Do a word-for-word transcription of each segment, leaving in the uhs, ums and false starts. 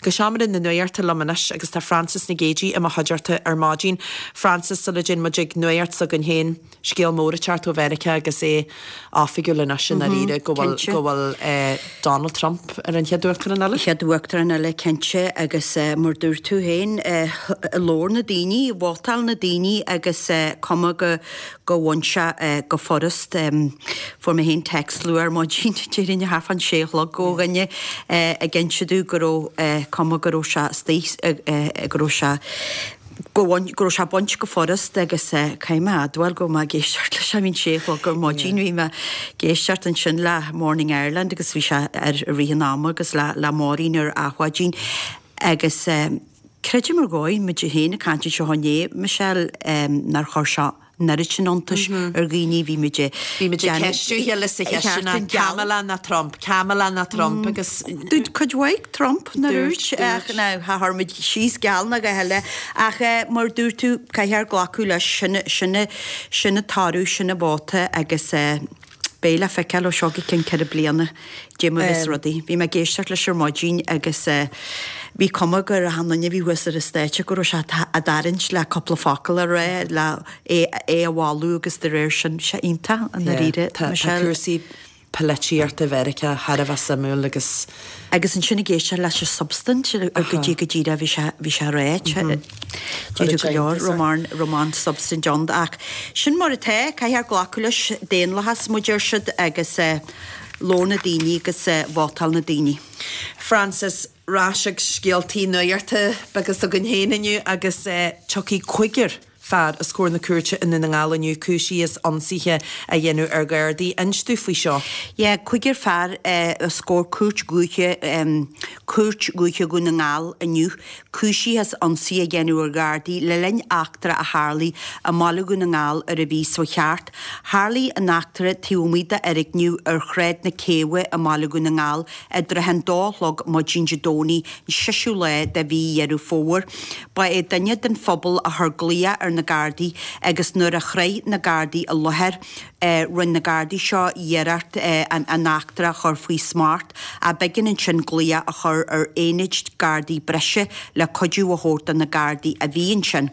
Go seomra na nuachta liom anois agus tá Frances Nic Géadaigh i mo chuideachta ar maidin. Frances sula dtéann muid ag nuacht s'againn féin scéal mór ag teacht ó Mheiriceá agus é oifigiúil anois i ndáiríre go bhfuil go bhfuil eh, Donald Trump ar an chéad uachtarán eile. Chéad uachtarán eile cinnte agus uh, mar dúirt tú féin uh, labhair na daoine, vótáil na daoine agus uh, cuma go go bhain sé uh, go furast um, fuair mé féin text luath ar maidin déarfainn thart fán sé a chlog ó dhuine uh, ag inse domh go raibh uh, cuma go raibh sé istigh uh, uh, go raibh sé go go raibh sé bainte go furast agus uh, caithfidh mé a admháil go mé ag éisteacht leis an sé a chlog ar maidin bhí mé ag éisteacht ansin le Morning Ireland agus bhí sé ar rith an ama agus le le Máirín ar Adhmhaidin agus um, creidim ar dhóigh muid féin ag caint seo inné Michelle um, nár chuir sé an oiread sin iontais ar dhaoine bhí muid Bhí muid ag ceistiú chéile sa cheisteanna Kamala nó Trump, Kamala nó Trump agus Dúirt cuid mhaith Trump na Dúirt, rúid ach ná chuir muid síos geall na go heile ach eh, mar dúirt tú caithfear glacadh leis sin sin sin toradh sin an vóta agus eh, beidh le feiceáil ó seo go ceann ceithre bliana déma vis rudaí. Bhí mé ag éisteacht leis ar maidin agus eh, bhí cuma gur an duine bhí thuas ar an stáitse go raibh sé ag tarraingt le cúpla focal a rá le é é a bhailiú agus de réir sin sé iontach an ríre Tá cúrsaí polaitíochta Mheiriceá thar a bheith suimiúil agus Agus ansin ag éisteacht leis an substaint go dtí go dtí bhí sé bhí sé ráite go leor román román substaint ann ach sin mar atá caithfear glacadh leis daonlathas muid ar siad agus eh, labhair na daoine agus eh, vótáil na daoine. Frances ar ais ag scéaltaí nuachta beaga s'againn féin inniu agus eh, tiocfaidh cúigear fear os comhair na cúirte i nDún na nGall inniu cúisithe as ionsaithe a dhéanamh ar Ghardaí. Inis dúinn faoi seo. Ja, cúigear fear eh, os comhair cúirt dhúiche um, cúirt dhúiche Dhún na nGall inniu, cúisithe as ionsaí a dhéanamh ar Ghardaí le linn eachtra a tharla i mbaile Dhún na nGall ar an mhí seo cheart. Tharla an eachtra taobh amuigh d'fhoirgneamh ar Shráid na Céibhe i mbaile Dhún na nGall i dtrátha an dó a chlog maidin Dé Domhnaigh an seisiú lá de mhí Dheireadh Fómhair. Ba é duine den phobal a chuir glaoch ar na Gardaí agus nuair a shroich na Gardaí an láthair eh, rinne na Gardaí seo iarracht eh, an, an eachtra a chur faoi smacht a b'éigean ansin glaoch a chur ar aonad Gardaí breise le cuidiú a thabhairt do na Gardaí a bhí ansin.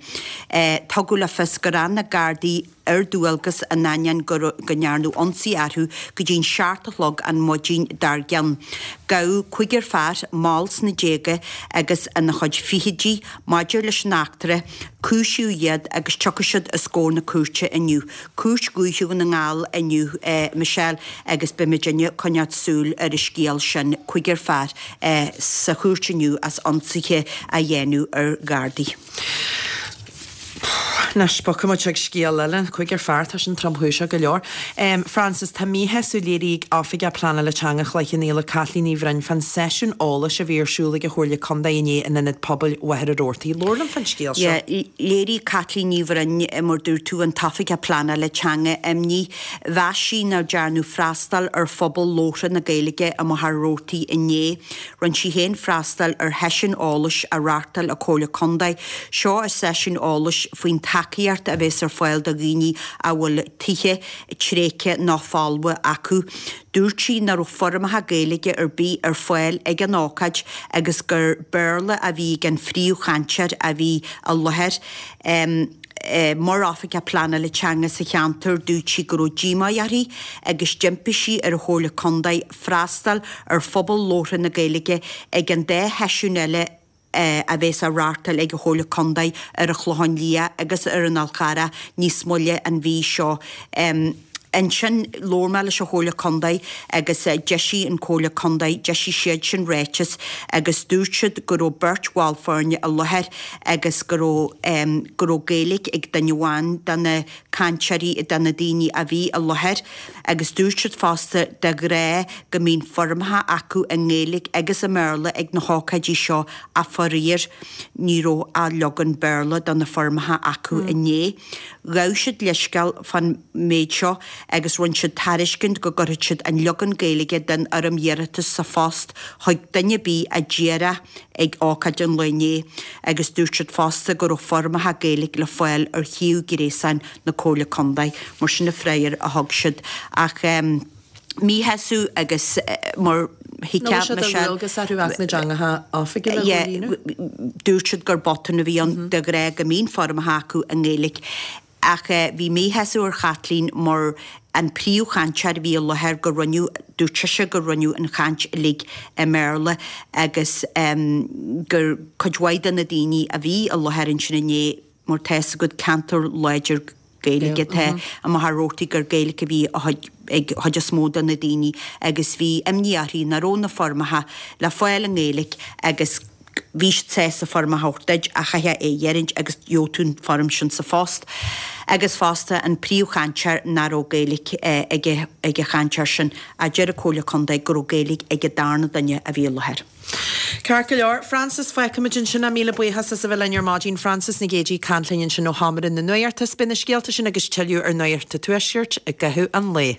Eh, tugadh le fios gur fhan na Gardaí ar dualgas in ainneoin go go ndearnadh ionsaí orthu go dtí'n seacht a chlog an maidin dár gcionn. Gabhadh cúigear fear mall sna déaga agus ina chuid fichidí maidir leis an eachtra, cúisíodh iad agus tiocfaidh siad os comhair na cúirte inniu. Cúirt Dhúiche Dhún na nGall inniu eh, Michelle agus beimid ag coinneáil súil ar an scéal sin cúigear fear eh, sa chúirt inniu as ionsaithe a dhéanamh ar Ghardaí. Anois bogfaimid ag scéal eile cúigear fear tá sin tromchúiseach go leor. Um, Frances tá míshásamh léirithe ag Oifigeach Pleanála Teanga Chloich Cheann Fhaola Caitlín Ní Bhroin fán seisiún eolais a bhí ar siúl ag an Chomhairle Contae inné in Ionad Pobail Mhachaire Rabhartaigh. Labhair linn fán scéal seo. Yeah, léirigh Caitlín Ní Bhroin mar dúirt tú an tOifigeach Pleanála Teanga imní mheas sí nár dearnadh freastal ar phobal labhartha na Gaeilge i Machaire Rabhartaigh inné. Rinne sí féin freastal ar sheisiún eolais a reáchtáil an Chomhairle Contae. Seo a seisiún eolais faoin tacaíocht a bheas ar fáil do dhaoine a bhfuil tithe tréigthe nó folmha acu. Dúirt sí nach raibh foirmeacha Gaeilge ar bith ar fáil ag an ócáid agus gur Béarla a bhí ag an phríomhchainteoir a bhí i láthair. Um, eh, mar oifigeach pleanála teanga sa cheantar dúirt sí go raibh díomá uirthi agus d'impigh sí ar an Chomhairle Contae freastal ar phobal labhartha na Gaeilge ag an dá sheisiún eile eh, a bheas á reáchtáil ag an Chomhairle Contae ar an Chlochán Liath agus ar an Fhál Carrach níos moille an mhí seo. Um, Ansin labhair mé leis an Chomhairle Contae agus uh, d'eisigh an Chomhairle Contae d'eisigh siad sin ráiteas agus dúirt siad go raibh beirt bhall foirne i láthair agus go raibh um, go raibh Gaeilge ag duine amháin de na cainteoirí de na daoine a bhí i láthair agus dúirt siad fosta de ghnáth go mbíonn foirmeacha acu i nGaeilge agus i mBéarla ag na hócáidí seo ach faraor ní raibh ach leagan Béarla de na foirmeacha acu inné. Ghabh siad leithscéal fán méid seo agus rinne siad tairiscint go gcuirfeadh siad an leagan Gaeilge den fhoirm iarratais sa phost chuig duine ar bith a d'iarr ag ócáid an lae inné agus dúirt siad fosta go raibh foirmeacha Gaeilge le fáil ar shuíomh gréasáin na Comhairle Contae mar sin na freagra a thug siad ach um, míshásamh agus uh, mar Thuigfeá Michelle. Agus orthu Acht na dTeangacha Oifigiúla a chomhlíonadh. Dúirt siad gur botún a bhí ann de ghnáth go mbíonn foirmeacha acu i nGaeilge ach bhí míshásamh ar Chaitlín mar an príomhchainteoir a bhí i láthair go rinneadh, dúirt sise gur rinneadh an chaint uilig i mBéarla agus gur cuid mhaith de na daoine a bhí i láthair ansin inné mar tá 'fhios agat ceantar láidir Gaeilge atá i Machaire Rabhartaigh gur Gaeilge a bhí ag chuid is mó de na daoine agus bhí imní uirthi nach raibh na foirmeacha le fáil i nGaeilge agus bhí siad sásta foirm a thabhairt duit ach chaithfeá é a dh'fhuirint agus gheobhadh tú an foirm sin sa phost. Agus fosta an príomhchainteoir nach raibh Gaeilge ag ag an chainteoir sin ach deir an Comhairle Contae go raibh Gaeilge ag an darna duine a bhí i láthair. Ceart go leor, Frances, fágfaimid ansin é. Míle buíochas as a bheith linn ar maidin. Frances Nic Géadaigh ag caint linn ansin ó Sheomra na Nuachta. Beidh na scéalta sin agus tuilleadh ar Nuacht an Tuaiscirt i gcaitheamh an lae.